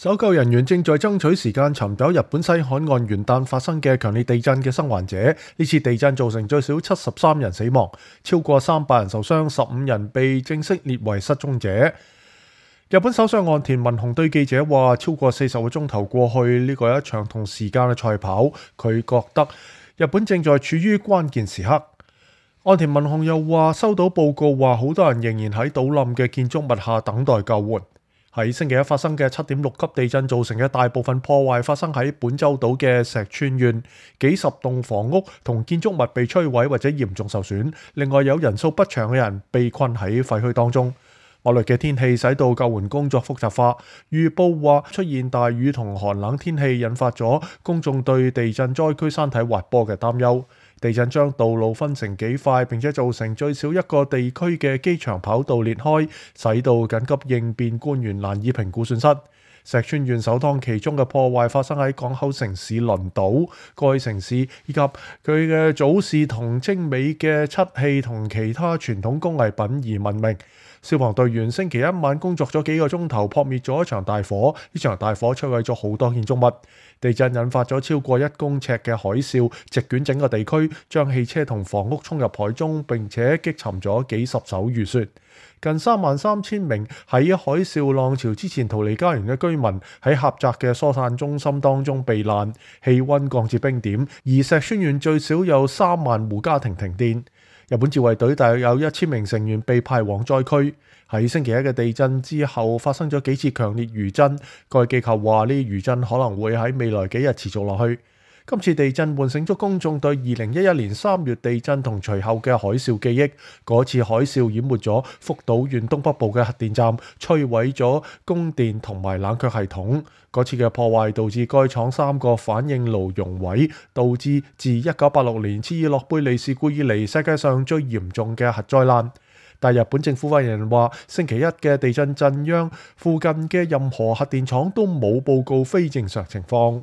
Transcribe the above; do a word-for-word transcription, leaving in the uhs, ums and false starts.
搜救人員正在爭取時間尋找日本西海岸元旦發生嘅強烈地震嘅生還者。呢次地震造成最少七十三人死亡，超過三百人受傷，十五人被正式列為失蹤者。日本首相岸田文雄對記者話：超過四十個鐘頭過去，呢個係一場同時間嘅賽跑。佢覺得日本正在處於關鍵時刻。岸田文雄又話：收到報告話，好多人仍然喺倒冧嘅建築物下等待救援。喺星期一發生嘅七點六級地震造成嘅大部分破壞發生喺本州島嘅石川縣，幾十棟房屋同建築物被摧毀或者嚴重受損，另外有人數不詳嘅人被困喺廢墟當中。惡劣嘅天氣使到救援工作複雜化，預報話出現大雨同寒冷天氣引發咗公眾對地震災區山體滑坡嘅擔憂。地震將道路分成幾塊，並且造成最少一個地區嘅機場跑道裂開，使到緊急應變官員難以評估損失。石川縣首當其衝嘅破壞發生喺港口城市輪島，該城市以及佢嘅早市同精美嘅漆器同其他傳統工藝品而聞名。消防隊員星期一晚工作咗幾個鐘頭，撲滅咗一場大火。呢場大火摧毀咗好多建築物。地震引發咗超過一公尺嘅海嘯，席捲整個地區，將汽車同房屋沖入海中，並且擊沉咗幾十艘漁船。近三萬三千名喺海嘯浪潮之前逃離家園嘅居民喺狹窄嘅疏散中心當中避難，氣溫降至冰點。而石川縣最少有三萬戶家庭停電。日本自衛隊大約有一千名成員被派往災區。喺星期一嘅地震之後發生咗幾次強烈餘震，該機構話呢啲餘震可能會喺未來幾日持續落去。今次地震喚醒咗公眾對二零一一年三月地震同隨後嘅海嘯記憶。嗰次海嘯淹沒咗福島縣東北部嘅核電站，摧毀咗供電同埋冷卻系統。嗰次嘅破壞導致該廠三個反應爐熔毀，導致自一九八六年切爾諾貝利事故以嚟世界上最嚴重嘅核災難。但日本政府發言人話，星期一嘅地震震央附近嘅任何核電廠都冇報告非正常情況。